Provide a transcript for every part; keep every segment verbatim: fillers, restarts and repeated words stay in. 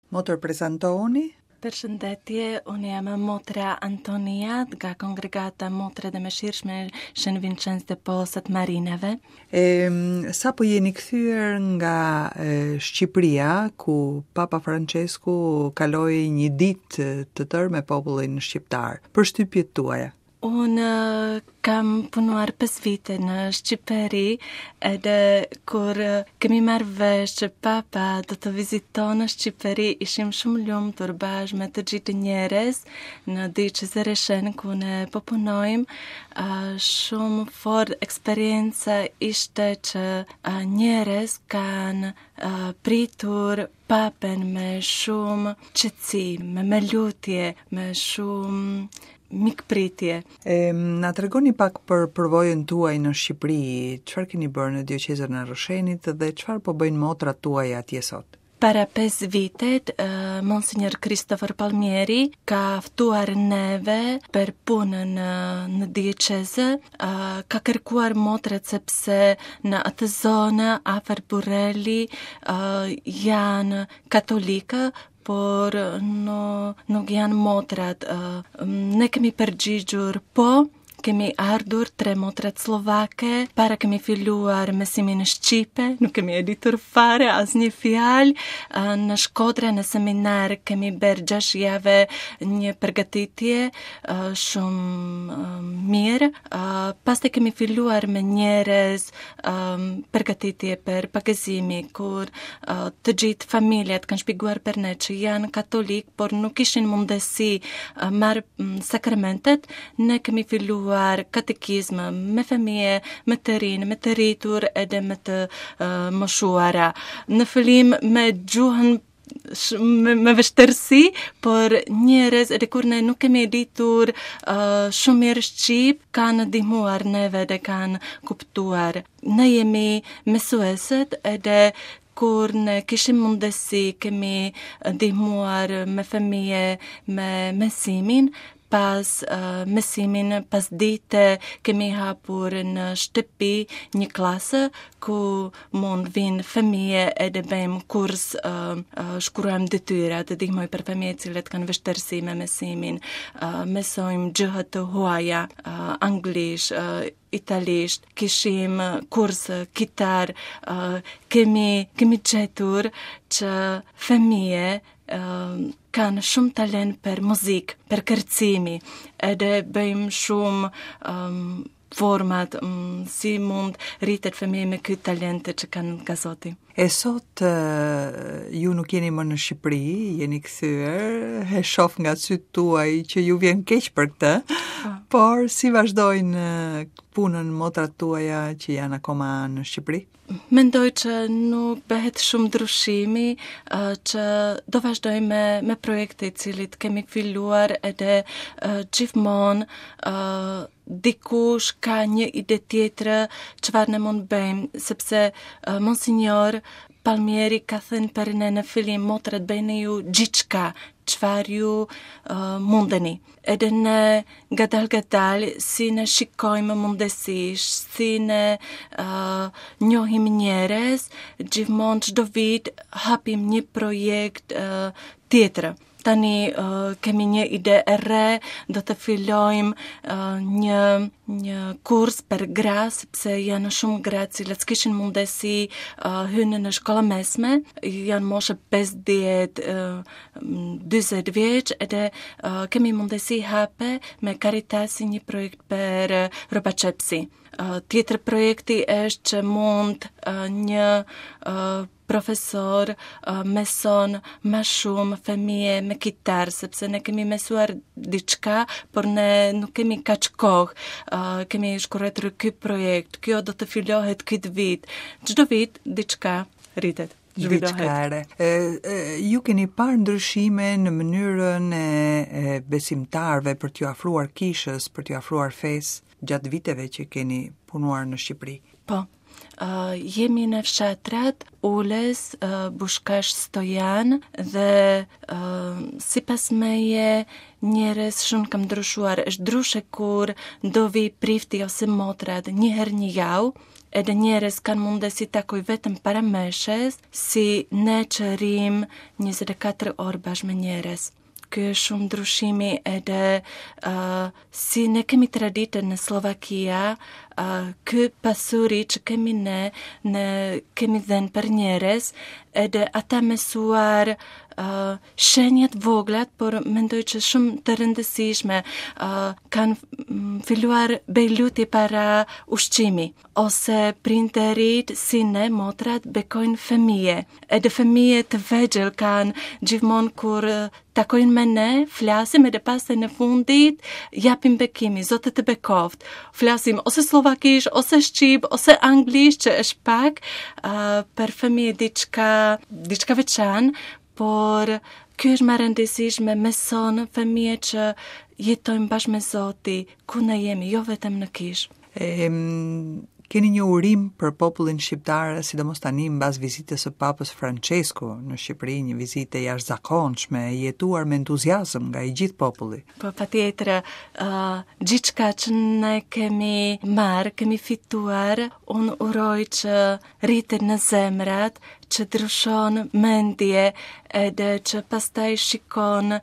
Motër, prezantohuni. Përshëndetje, unë jam motra Antonia nga kongregata Motra dhe Mëshirshme Shën Vincenz de Paul të Marinave. E, sa po jeni kthyer nga e, Shqipëria, ku Papa Francesku kaloi një ditë të tërë me popullin shqiptar. Përshtypjet tuaja? Unë kam punuar pesë vite në Shqipëri, edhe kur kemi marrë vesh që Papa do të viziton në Shqipëri, ishim shumë lumtur bashkë me të gjithë njerëz në dioqezë Rrëshen ku ne po punojmë. Shumë fort eksperienca ishte që njerëz kanë pritur Papen me shumë qetësi, me me lutje, me shumë mikpritje. E, na tregoni pak për përvojën tuaj në Shqipëri, çfarë keni bërë në dioqezën e Rrëshenit dhe çfarë po bëjnë motrat tuaja atje sot? Para pesë vitet, uh, Monsignor Christopher Palmieri ka ftuar neve për punën në, në dioqezë, uh, ka kërkuar motrat sepse në atë zonë afër Burreli uh, janë katolika, por no, nuk janë motrat. Ne kemi përgjigjur po, kemi ardhur tre motrat slovake, para kemi filluar mësimin shqipe, nuk kemi e ditur fare asnjë fjalë. Në Shkodra në seminar kemi bërë gjashtë jave një përgatitje shumë mirë. Pastaj kemi filluar me njerëz përgatitje për pagëzimi, kur të gjithë familjet kanë shpjeguar për ne që janë katolik, por nuk kishin mundësi marrë sakramentet. Ne kemi filluar katekizmë me fëmijë, me të rinë, me të rritur edhe me të uh, moshuara. Në fillim me gjuhën me, me vështirësi, por njerëz edhe kur ne nuk kemi ditur uh, shumë mirë shqip, kanë ndihmuar neve dhe kanë kuptuar. Ne jemi mësueset edhe kur ne kishim mundësi, kemi ndihmuar me fëmijë me mësimin, pas uh, mësimin, pas dite kemi hapur në shtëpi një klasë ku mund vinë fëmijë edhe bëjmë kurs, uh, uh, shkruajmë detyra të ndihmoj për fëmijë cilët kanë vështirësi me mësimin, uh, mësojmë gjuhë të huaja, uh, anglisht, uh, italisht, kishim kurs kitar, uh, kemi, kemi gjetur që fëmijë uh, kanë shumë talent për muzikë, për kërcimi, edhe bëjmë shumë um, format um, si mund rritet fëmijë me këtë talent që kanë nga Zoti. E sot ju nuk jeni më në Shqipëri, jeni kthyer, e shoh nga sytë tuaj që ju vjen keq për këtë, por si vazhdojnë punën motrat tuaja që janë akoma në Shqipëri? Mendoj që nuk bëhet shumë ndryshimi, uh, që do vazhdojmë me, me projekte i cilit kemi filluar edhe uh, gjithmonë uh, dikush ka një ide tjetër çfarë ne mund bëjmë, sepse uh, Monsignor Palmieri ka thënë për ne në fillim, motrat bëjnë ju gjithçka, çfarë ju uh, mundeni. Edhe ne gadal gadal, si ne shikojmë mundësish, si ne uh, njohim njerëz, gjithmonë çdo vit hapim një projekt uh, tjetër. Tani uh, kemi një ide e re, do të fillojmë uh, një, një kurs për gra, sepse janë shumë gra cilët s'kishin mundësi uh, hynë në shkolla mesme, janë moshë pesëdhjetë, uh, dyzet vjeç, edhe uh, kemi mundësi hape me Caritasi një projekt për uh, rrobaqepsi. Uh, tjetër projekti është që mund uh, një uh, profesor uh, mëson më shumë fëmijë me kitar, sepse ne kemi mësuar diçka, por ne nuk kemi kaq kohë. Uh, kemi shkruar ky projekt, kjo do të fillohet këtë vit. Çdo vit diçka rritet. Diçka e re. E, e, ju keni parë ndryshime në mënyrën e, e besimtarëve për t'ju afruar kishës, për t'ju afruar fesë gjatë viteve që keni punuar në Shqipëri? Po. Uh, jemi në fshatrat Ules, uh, Bushkash, Stojan dhe uh, sipas meje njerëz shumë kam ndryshuar. Është ndryshe kur do vi prifti ose motrat një herë një javë, Edhe njerëz kanë mundësi takoj vetëm para meshes, si ne që rrim njëzet e katër orë bashkë me njerëz. Ky është shumë ndryshimi edhe uh, si ne kemi traditën në Slovakia, uh, ky pasuri që kemi ne, ne kemi dhënë për njerëz, edhe ata mësuar uh, shenjat voglat, por mendoj që shumë të rëndësishme, uh, kanë mm, filluar bëj lutje para ushqimi, ose prindërit si ne, motrat, bekojnë fëmijë. Edhe fëmijë të vegjël kanë gjithmonë kur takojnë me ne, flasim edhe pastaj në fundit japim bekimi, Zoti të bekoft. Flasim ose sllovakisht, ose shqip, ose anglisht, që është pak uh, për fëmijë diçka, diçka veçantë, por kjo është më rëndësishme, mëson fëmijë që jetojnë bashkë me Zoti, ku ne jemi, jo vetëm në kishë. Em, keni një urim për popullin shqiptar, sidomos tani mbas vizitës së Papës Francesco në Shqipëri, një vizitë e jashtëzakonshme, e jetuar me entuziazëm nga i gjithë populli. Po, patjetër, uh, gjithçka që ne kemi marrë, kemi fituar, unë uroj që rritet në zemrat, që ndryshon mendje edhe që pastaj shikon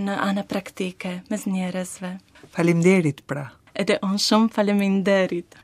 në ana praktike mes njerëzve. Faleminderit pra. Edhe unë shumë faleminderit.